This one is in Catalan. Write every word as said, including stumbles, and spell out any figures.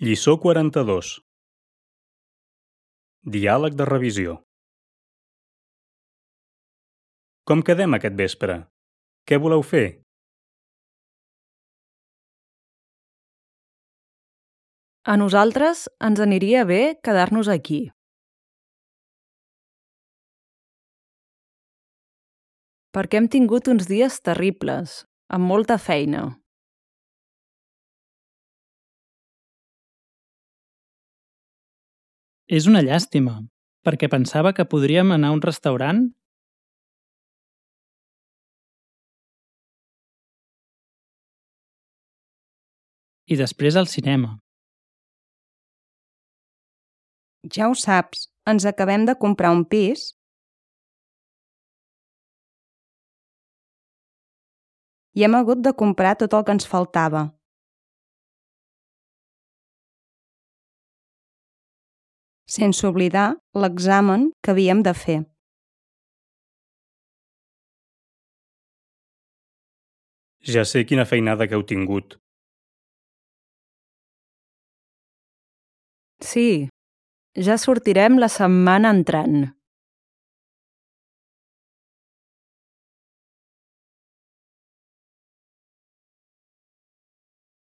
Lliçó quaranta-dos. Diàleg de revisió. Com quedem aquest vespre? Què voleu fer? A nosaltres ens aniria bé quedar-nos aquí. Perquè hem tingut uns dies terribles, amb molta feina. És una llàstima, perquè pensava que podríem anar a un restaurant. I després al cinema. Ja ho saps, ens acabem de comprar un pis i hem hagut de comprar tot el que ens faltava. Sense oblidar l'examen que havíem de fer. Ja sé quina feinada que heu tingut. Sí, ja sortirem la setmana entrant.